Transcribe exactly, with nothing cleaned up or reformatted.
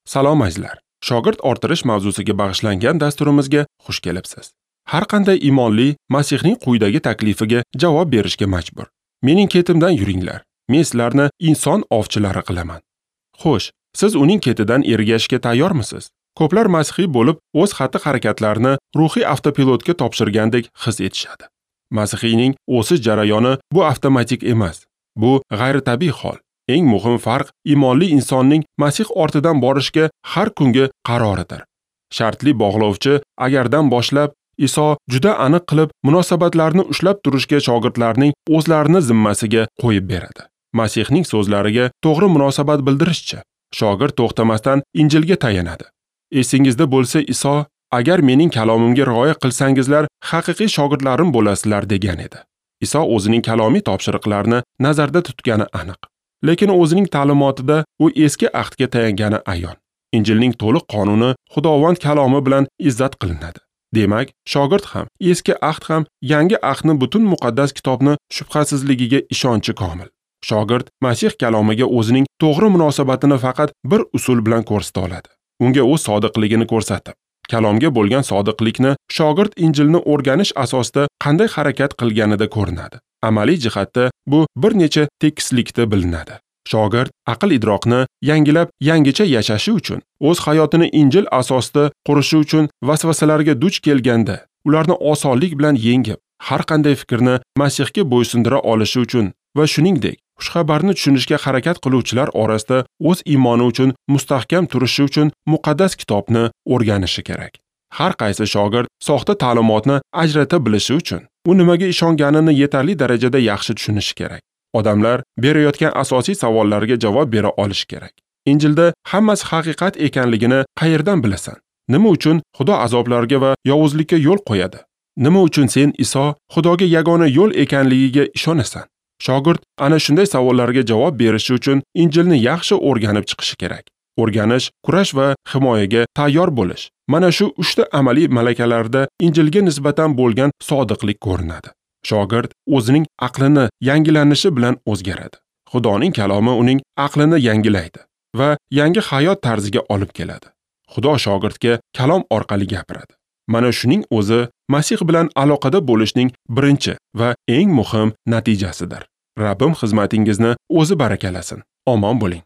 Salom azizlar. Shogird orttirish mavzusiga bag'ishlangan dasturimizga xush kelibsiz. Har qanday iymonli Masihning quyidagi taklifiga javob berishga majbur. Mening ketimdan yuringlar. Men sizlarni inson ovchilari qilaman. Xo'sh, siz uning ketidan ergashishga tayyormisiz? Ko'plar masihiy bo'lib, o'z xatti-harakatlarini ruhiy avtopilotga topshirgandek his etishadi. Masihiyning o'sish jarayoni bu avtomatik emas. Bu g'ayritabiiy hol. Eng muhim farq iymonli insonning Masih ortidan borishga har kungi qaroridir. Shartli bog'lovchi agardan boshlab Iso juda aniq qilib munosabatlarni ushlab turishga shogirdlarning o'zlarini zimmasiga qo'yib beradi. Masihning so'zlariga to'g'ri munosabat bildirishchi, shogird to'xtamasdan Injilga tayanadi. Esingizda bo'lsa, Iso agar mening kalomimga rioya qilsangizlar, haqiqiy shogirdlarim bo'lasizlar degan edi. Iso o'zining kalomiy topshiriqlarini nazarda tutgani aniq. Lekin o'zining ta'limotida u eski ahdga tayangani ayon. Injilning to'liq qonuni Xudovand kalomi bilan izzat qilinadi. Demak, shogird ham, eski ahd ham yangi ahdni butun muqaddas kitobni shubhasizligiga ishonchi komil. Shogird Masih kalomiga o'zining to'g'ri munosabatini faqat bir usul bilan ko'rsata oladi. Unga o'z sodiqligini ko'rsatib, kalomga bo'lgan sodiqlikni shogird Injilni o'rganish asosida qanday harakat qilganida ko'rinadi. Amaliy jihatda bu bir necha tekislikda bilinadi. Shogird aql idroqni yangilab yangicha yashashi uchun, o'z hayotini Injil asosida qurishi uchun vasvasalarga duch kelganda, ularni osonlik bilan yengib, har qanday fikrni Masihga bo'ysundira olishi uchun va shuningdek, xushxabarni tushunishga harakat qiluvchilar orasida o'z iymoni uchun mustahkam turishi uchun muqaddas kitobni o'rganishi kerak. Har qaysi shogird soxta ta'limotni ajrata bilishi uchun u nimaga ishonganini yetarli darajada yaxshi tushunishi kerak. Odamlar berayotgan asosiy savollarga javob bera olishi kerak. Injilda hammasi haqiqat ekanligini qayerdan bilasan? Nima uchun Xudo azoblarga va yovuzlikka yo'l qo'yadi? Nima uchun sen Iso Xudoga yagona yo'l ekanligiga ishonasan? Shogird ana shunday savollarga javob berishi uchun Injilni yaxshi o'rganib chiqishi kerak. O'rganish, kurash va himoyaga tayyor bo'lish. Mana shu uchta amaliy malakalarda Injilga nisbatan bo'lgan sodiqlik ko'rinadi. Shogird o'zining aqlini yangilanishi bilan o'zgaradi. Xudoning kalomi uning aqlini yangilaydi va yangi hayot tarziga olib keladi. Xudo shogirdga kalom orqali gapiradi. Mana shuning o'zi Masih bilan aloqada bo'lishning birinchi va eng muhim natijasidir. Rabbim xizmatingizni o'zi barakalasin. Omon bo'ling.